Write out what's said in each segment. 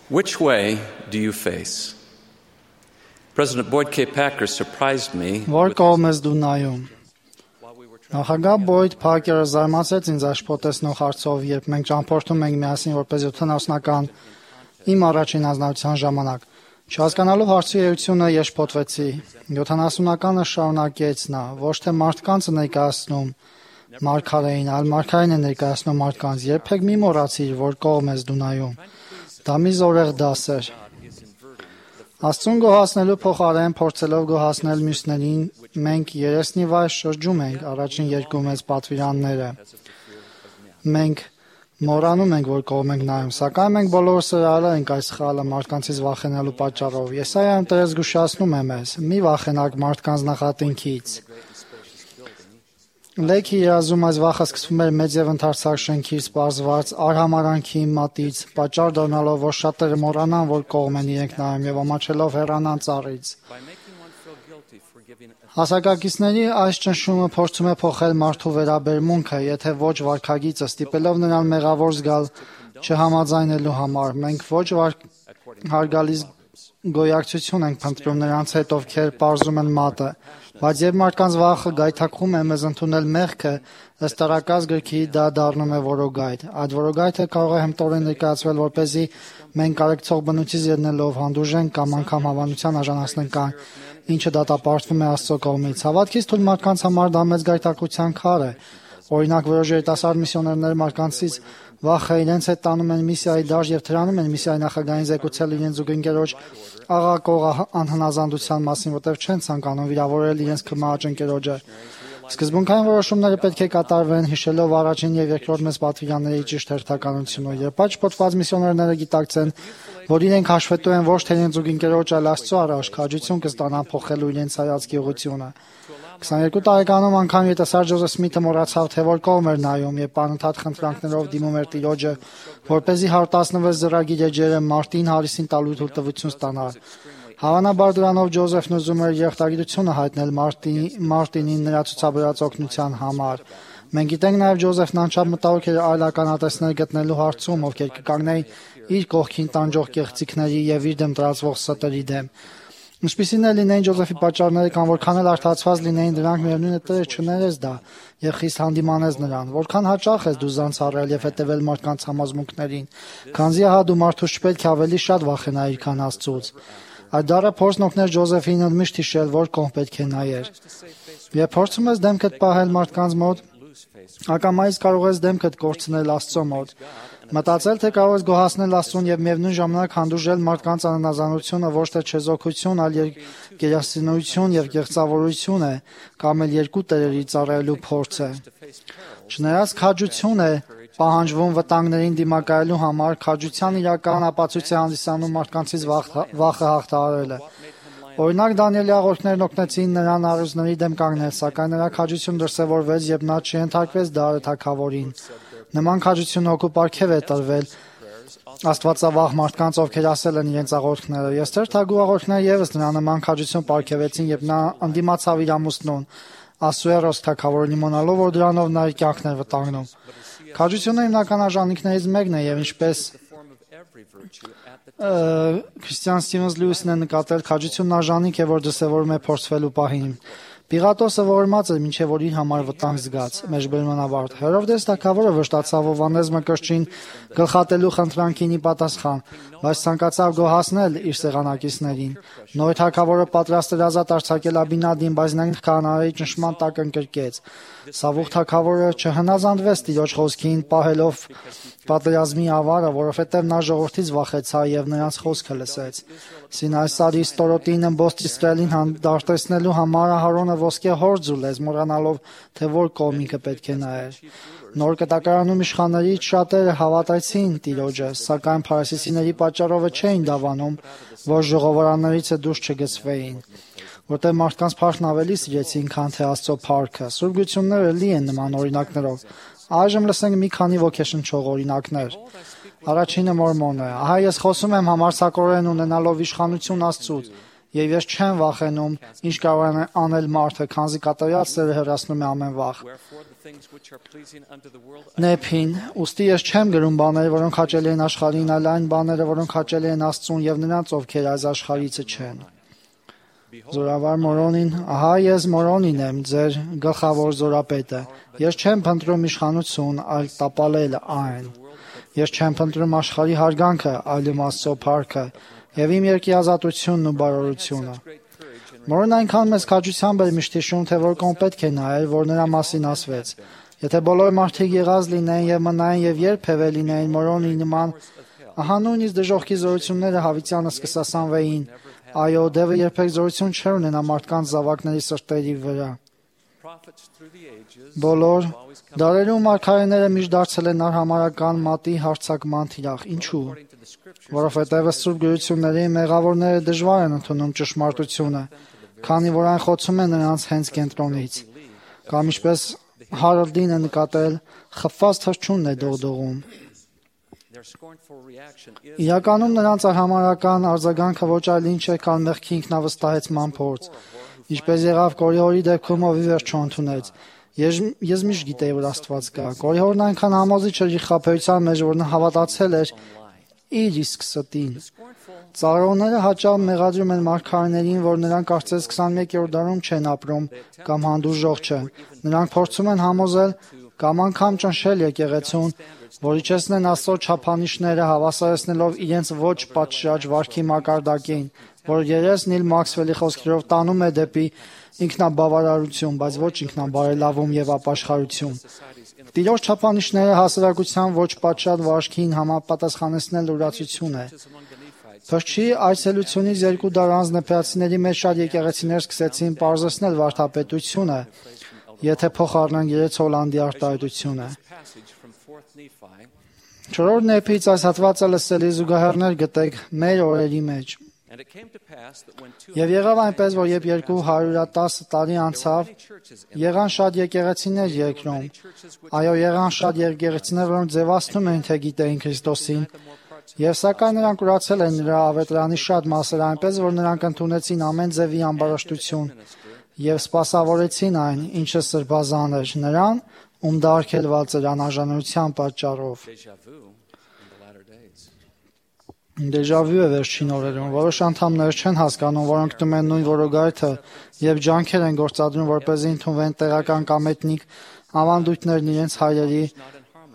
Which way do you face? President Boyd K. Packer surprised me. Որ կողմ ես դու նայում։ Նախագահ Բոյդ Փակերը զարմացեց ինձ աշխատեցնող հարցով, երբ մենք ճամփորդում ենք միասին որպես 70-ական իմ առաջին հանձնարարության ժամանակ։ Չհասկանալով հարցի էությունը եշփոթվեցի։ 70-ականը շարունակեց նա, ոչ թե մարդկանց ներկայացնում մարգարեին, այլ մարգարեն է ներկայացնում մարդկանց։ Երբեք մի մոռացիր, որ կողմ ես դու նայում։ Դա մի զորեղ դաս էր։ Աստծուն գոհացնելու փոխարեն փորձելով գոհացնել մյուսներին, մենք երեսնի վայր շրջում ենք առաջին երկու մեծ պատվիրանները։ Մենք մոռանում ենք, որ կողմ ենք նայում, սակայն մենք բոլորս արել ենք այս սխալը մարդկանցից վախենալու պատճառով։ Եսայայում Տերը զգուշացնում է մեզ. մի վախենակ մարդկանց նախատինքից։ Լեքի երազում այս վախը սկսվում էր մեծ եւ ընդարձակ շենքից սպառված արհամարանքի մատից, պատճառ դառնալով, որ շատերը մոռանան, որ կողմ են իրենք նայում եւ ամաչելով հեռանան ծառից։ Հասակակիցների այս ճնշումը փորձում է փոխել մարդու վերաբերմունքը, եթե ոչ վարքագիծը, ստիպելով նրան մեղավոր զգալ չհամաձայնելու համար։ Մենք ոչ հարգալից գոյակցություն ենք փնտրում նրանց հետ, ովքեր պարզում են մատը, բայց երբ մարդկանց վախը գայթակղում է մեզ ընդունել մեղքը, ըստ Տարակաց գրքի դա դառնում է որոգայթ։ Այդ որոգայթը կարող է հմտորեն ներկայացվել, որպեսզի մենք կարեկցող բնույթից ելնելով հանդուրժենք կամ անգամ հավանության արժանացնենք այն, ինչը դատապարտվում է Աստծո կողմից։ Հավատքից թույլ մարդկանց համար դա մեծ գայթակղության քար է։ Օրինակ, որոշ երիտասարդ միսիոներներ մարդկանցից վախը իրենց հետ տանում են միսիայի դաշտ եւ թրանում են միսիայի նախագահին զեկուցել իրենց զուգընկերոջ աղակող անհնազանդության մասին, որտեղ չեն ցանկանում վիրավորել իրենց քմահաճ ընկերոջը։ Սկզբունքային որոշումները պետք է կատարվեն, հիշելով առաջին եւ երկրորդ մեծ պատվիրանների ճիշտ հերթականությունը։ Երբ այդ շփոթված միսիոներները գիտակցեն, որ իրենք հաշվետու են ոչ թե իրենց զուգընկերոջ, այլ Աստծո առաջ, քաջություն կստանան փոխելու իրենց հայացքի ուղղությունը։ 22 տարեկանում անգամ երիտասարդ Ջոզեֆ Սմիթը մոռացավ, թե որ կողմ էր նայում եւ անընդհատ խնդրանքներով դիմում էր Տիրոջը, որպեսզի 116 զրագիր էջերը մարտին Հարիսին տալու թույլտվություն ստանար։ Հավանաբար դրանով Ջոզեֆն ուզում էր երախտագիտությունը հայտնել Մարտինին նրա ցուցաբերած օգնության համար։ Մենք գիտենք նաեւ Ջոզեֆն անչափ մտահոգ էր այլ ականատեսներ գտնելու հարցում, ովքեր կկանգնեին իր կողքին տանջող կեղծիքների եւ իր դեմ տրածվող ստերի դեմ։ Ինչպիսին է լինեին Ջոզեֆի պատճառները կամ որքան էլ արդարացված լինեին դրանք, միևնույն է Տերը չներես դա եւ խիստ հանդիմանես նրան, որքան հաճախ ես դու զանցառել եւ հետեւել մարդկանց համոզմունքներին, քանզի ահա դու մարդուց չպետք է ավելի շատ վախենայիր, քան Աստծուց։ Այդ դառը փորձն օգներ Ջոզեֆին ընդմիշտ հիշել, որ կողմ պետք է նայեր։ Երբ փորձում ես դեմքդ պահել մարդկանց մոտ, ակամայից կարող ես դեմքդ կորցնել Աստծո մոտ։ Մտածել, թե կարող ես գոհացնել Աստծուն եւ միևնույն ժամանակ հանդուրժել մարդկանց անհնազանդությունը ոչ թե չեզոքություն, այլ գերասենություն եւ կեղծավորություն է, կամ էլ երկու տերերի ծառայելու փորձ է։ Չնայած քաջություն է պահանջվում վտանգներին դիմակայելու համար, քաջության իրական ապացույց է հանդիսանում մարդկանցից վախը հաղթահարելը։ Օրինակ Դանիելի աղոթքներն օգնեցին նրան առյուծների դեմ կանգնել, սակայն նրա քաջություն դրսևորվեց, երբ նա չհենթարկվեց Դարը թագավորին։ Նման քաջություն հոգու պարգև է տրվել աստվածավախ մարդկանց, ովքեր ասել են իրենց աղոթքները։ Եստեր թագու աղոթքները եւս նրա նման քաջություն պարգևեցին, երբ նա ընդդիմացավ իր ամուսնուն Ասուերոս թագավորին, իմանալով, որ դրանով նա իր կյանքն էր վտանգնում։ Քաջությունը հիմնական արժանինքներից մեկն է եւ ինչպես Քրիստիան Սթիվենս Լյուիսն է նկատել, քաջությունն արժանինք է, որ դրսևորում է փորձվելու պահին։ Պիղատոսը ողորմած էր, մինչև որ իր համար վտանգ զգաց։ Մեջբերմանավարտ Հերովդես թագավորը վշտացավ Հովհաննես Մկրտչին գլխատելու խնդրանքին ի պատասխան, բայց ցանկացավ գոհացնել իր սեղանակիցներին։ Նոր թագավորը պատրաստ էր ազատ արձակել Աբինադին, բայց նա քահանայի ճնշման տակ ընկրկեց։ Սավուխ թագավորը չհնազանդվեց Տիրոջ խոսքին, պահելով պատերազմի ավարը, որովհետև նա ժողովրդից վախեցավ եւ նրանց խոսքը լսեց։ Սինայի սարի ստորոտին ըմբոստ Իսրայելին հանդարտեցնելու համար Ահարոնը ոսկե հորձ ուլեց, մոռանալով, թե որ կողմ ինքը պետք է նայեր։ Նոր կտակարանում իշխաններից շատերը հավատացին Տիրոջը, սակայն փարիսեցիների պատճառով չէին դավանում, որ ժողովարաններից դուրս չգցվեին, որտեղ մարդկանց փառքն ավելի սիրեցին, քան թե Աստծո փառքը։ Սուրբ Գրությունները լի են նման օրինակներով։ Այժմ լսենք մի քանի ոգեշնչող օրինակներ։ Առաջինը Մորմոնը։ Ահա ես խոսում եմ համարձակորեն ունենալով իշխանություն Աստծուց Եվ ես չեմ վախենում, ինչ կարող է անել մարդը, քանզի կատարյալ սերը հեռացնում է ամեն վախ։ Նեփին, ուստի ես չեմ գրում բաները, որոնք հաճելի են աշխարհին, այլ այն բաները, որոնք հաճելի են Աստծուն եւ նրանց, ովքեր այս աշխարհիցը չեն։ Զորավար Մորոնին, ահա ես Մորոնին եմ, ձեր գլխավոր զորապետը։ Ես չեմ փնտրում իշխանություն, այլ տապալել այն։ Ես չեմ փնտրում աշխարհի հարգանքը, այլ Աստծո փառքը, եւ իմ երկի ազատությունն ու բարօրությունը։ Մորոնն այնքան մեծ քաջությամբ էր միշտ հիշում, թե որքան պետք է նայել, որ նրա մասին ասվեց։ Եթե բոլոր մարդիկ եղած լինեին եւ մնային եւ երբևէ լինեին Մորոնի նման, ահա նույնիսկ դժոխքի զորությունները հավիտյանը սկսասանվեին։ Այո, դևը երբեք զորություն չէր ունենա մարդկանց զավակների սրտերի վրա։ Բոլոր դարերում մարգարեները միշտ դարձել են արհամարհական մատի հարձակման թիրախ։ Ինչու՞։ Որովհետև Սուրբ գրությունների մեղավորները դժվար են ընդունում ճշմարտությունը, քանի որ այն խոցում է նրանց հենց կենտրոնից։ Կամ ինչպես Հարոլդին է նկատել, խփված թռչունն է դողդողում։ Իրականում նրանց արհամարհական արձագանքը ոչ այլ ինչ է, քան մեղքի ինքնավստահեցման փորձ, ինչպես եղավ Կորիհորի դեպքում, ով ի վերջո ընդունեց. Ես միշտ գիտեի, որ Աստված կա։ Կորիհորն այնքան համոզիչ էր իր խաբեության մեջ, որ նա հավատացել էր իր իսկ ստին։ Ծառայողները հաճախ մեղադրում են մարգարեներին, որ նրանք կարծես 21-րդ դարում չեն ապրում կամ հանդուրժող չեն։ Նրանք փորձում են համոզել կամ անգամ ճնշել եկեղեցուն, որ իջեցնեն Աստծո չափանիշները, հավասարեցնելով իրենց ոչ պատշաճ վարքի մակարդակին, որ երես Նիլ Մաքսվելի խոսքերով տանում է դեպի ինքնաբավարարություն, բայց ոչ ինքնաբարելավում եւ ապաշխարություն։ Տիրոջ չափանիշները հասարակության ոչ պատշաճ վարքին համապատասխանեցնել ուրացություն է։ Փրկչի այցելությունից 2 դար անց նեփեացիների մեջ շատ եկեղեցիներ սկսեցին պարզեցնել վարդապետությունը, եթե փոխառնենք 3 Հոլանդի արտահայտությունը։ 4-րդ նեփից այս հատվածը լսելի զուգահեռներ գտեք մեր օրերի մեջ։ Եվ եղավ այնպես, որ երբ 210 տարի անցավ, եղան շատ եկեղեցիներ երկրում։ Այո, եղան շատ եկեղեցիներ, որոնք ձևացնում էին, թե գիտեին Քրիստոսին, եւ սակայն նրանք ուրացել են նրա ավետարանի շատ մասերը, այնպես որ նրանք ընդունեցին ամեն ձևի ամբարաշտություն եւ սպասավորեցին այն, ինչը սրբազան էր, նրան, ում դա արգելված էր անարժանության պատճառով։ Դեժավյու է վերջին օրերում, որոշ անդամներ չեն հասկանում, որոնք տում են նույն որոգայթը եւ ջանքեր են գործադրում, որպեսզի ընդունվեն տեղական կամ էթնիկ ավանդույթներն իրենց հայերի,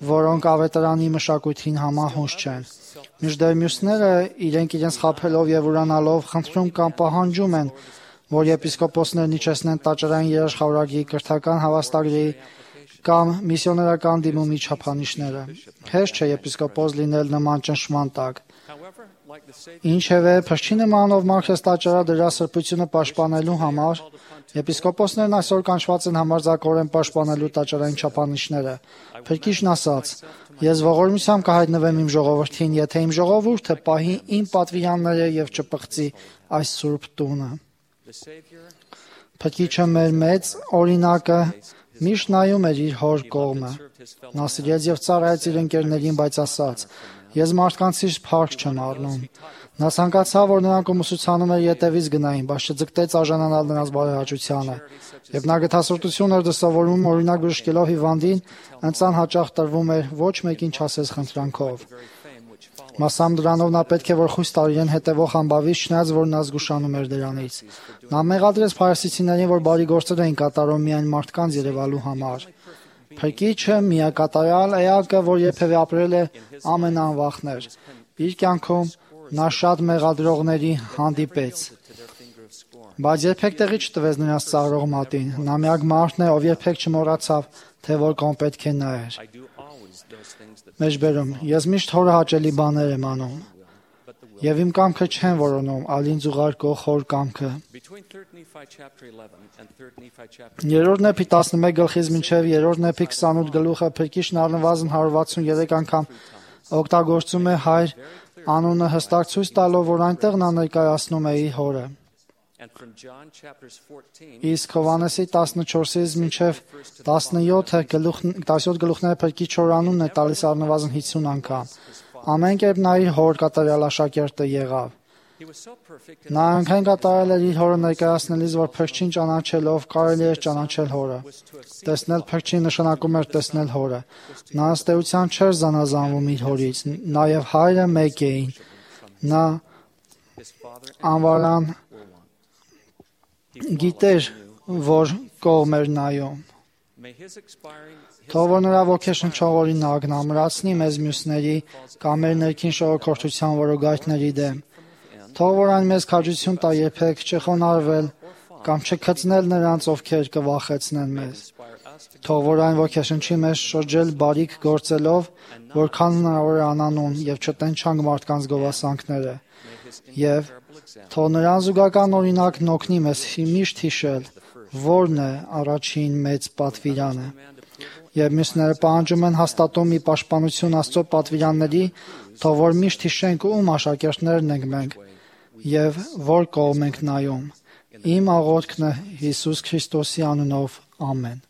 որոնք ավետարանի մշակույթին համահունչ չեն։ Մինչդեռ մյուսները իրենք իրենց խաբելով եւ ուրանալով խնդրում կամ պահանջում են, որ եպիսկոպոսներն իջեցնեն տաճարային երաշխավորագի կրթական հավաստագրի կամ միսիոներական դիմումի չափանիշները։ Հեշտ չէ եպիսկոպոս լինել նման ճնշման տակ։ Ինչևէ, փրկչի նման ով Մարքս տաճարը դրա սրբությունը պաշտպանելու համար, եպիսկոպոսներն այսօր կանչված են համարձակորեն պաշտպանելու տաճարային չափանիշները։ Փրկիչն ասաց. Ես ողորմությամբ կհայտնվեմ իմ ժողովրդին, եթե իմ ժողովուրդը պահի իմ պատվիրանները եւ չպղծի այս սուրբ տունը։ Փրկիչը մեր մեծ օրինակը միշտ նայում էր իր հոր կողմը։ Նա սիրեց եւ ծառայեց իր ընկերներին, բայց ասաց. Ես մարդկանցից փառք չեմ առնում։ Նա ցանկացավ, որ նրանք ումուսուցանում էր ետևից գնային, բայց չձգտեց արժանանալ նրանց բարեհաճությանը։ Եվ նա գթասրտություն էր դասավորում, օրինակ բժշկելով հիվանդին, ընծան հաճախ տրվում էր ոչ մեկին չասես խնդրանքով։ Մասամբ դրանով նա պետք է որ խույս տար իրեն հետևող համբավից, չնայած որ նա զգուշանում էր դրանից։ Նա մեղադրեց փարիսեցիներին, որ բարի գործեր էին կատարում միայն մարդկանց երևալու համար։ Փրկիչը միակատարյալ էակը, որ երբևէ ապրել է, ամենաանվախներ։ Իր կյանքում նա շատ մեղադրողների հանդիպեց, բայց երբեք տեղի չտվեց նրանց ծաղրող մատին։ Նա միակ մարդն է, ով երբեք չմոռացավ, թե որ կողմ պետք է նայեր։ Մեջբերում, ես միշտ հորը հաճելի բաներ եմ անում, եւ իմ կամքը չեմ որոնում, այլ ինձ ուղարկող հոր կամքը։ 3-րդ նեփի 11 գլխից մինչև 3-րդ նեփի 28 գլուխը Փրկիչն առնվազն 163 անգամ օգտագործում է հայր անունը հստակ ցույց տալով, որ այնտեղ նա ներկայացնում է իր հորը։ Իսկ Հովհաննեսի 14-ից մինչև 17 գլուխները Փրկիչ հոր անունն է տալիս առնվազն 50 անգամ։ Ամեն կերպ նա իր հոր կատարյալ աշակերտը եղավ։ Նա այնքան կատարել էր իր հորը ներկայացնելիս, որ փրկչին ճանաչելով կարելի էր ճանաչել հորը։ Տեսնել փրկչին նշանակում էր տեսնել հորը։ Նա ըստ էության չէր զանազանվում իր հորից, նաև հայրը մեկ էին։ Նա անվարան գիտեր, որ կողմ էր նայում։ Թող որ նրա ոգեշնչող օրինակն ամրացնի մեզ մյուսների կամ մեր ներքին շողոքորթության որոգայթների դեմ։ Թող որ այն մեզ քաջություն տա երբեք չխոնարհվել կամ չքծնել նրանց, ովքեր կվախեցնեն մեզ։ Թող որ այն ոգեշնչի մեզ շրջել բարիք գործելով, որքան հնարավոր է անանուն, եւ չտենչանք մարդկանց գովասանքները։ Եվ թող նրան զուգական օրինակն օգնի մեզ միշտ հիշել, որն է առաջին մեծ պատվիրանը։ Եվ մյուսները պահանջում են հաստատում մի պաշտպանություն Աստծո պատվիրանների, թող որ միշտ հիշենք ում աշակերտներն ենք մենք եւ որ կողմ ենք նայում։ Իմ աղոթքն է Հիսուս Քրիստոսի անունով, ամեն։